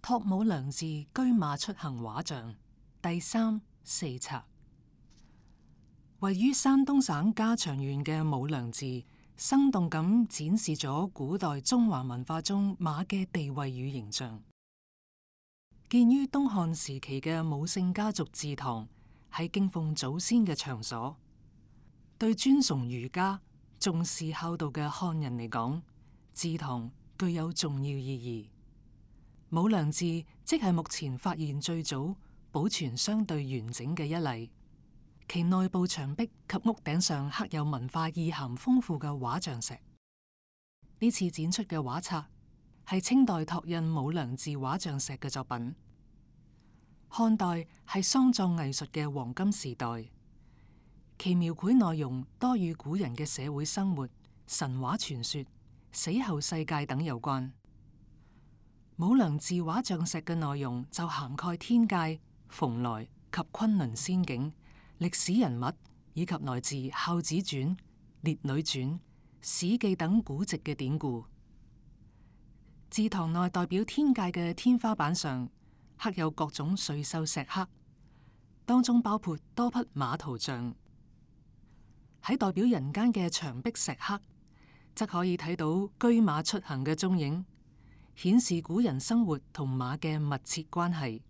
托武良寺車馬出行畫像第3、4冊。位於山東省加長縣嘅武良寺，生動咁展示咗古代中華文化中馬嘅地位與形象。建於東漢時期嘅武姓家族祠堂，係敬奉祖先嘅場所。對尊崇儒家、重視孝道嘅漢人嚟講，祠堂具有重要意義。武良寺即係目前發現最早保存相對完整嘅一例。其內部牆壁及屋頂上刻有文化意涵豐富嘅畫像石。呢次展出嘅畫冊係清代拓印武良寺畫像石嘅作品。漢代係喪葬藝術嘅黃金時代，其描繪內容多與古人嘅社會生活、神話傳說、死後世界等有關。武良寺畫像石嘅內容就涵蓋天界、蓬萊及崑崙仙境、歷史人物以及來自《孝子傳》、《列女傳》、《史記》等古籍嘅典故。祠堂內代表天界嘅天花板上刻有各種瑞獸石刻，當中包括多匹馬圖像。喺代表人間嘅牆壁石刻，則可以睇到車馬出行嘅蹤影，顯示古人生活同馬嘅密切關係。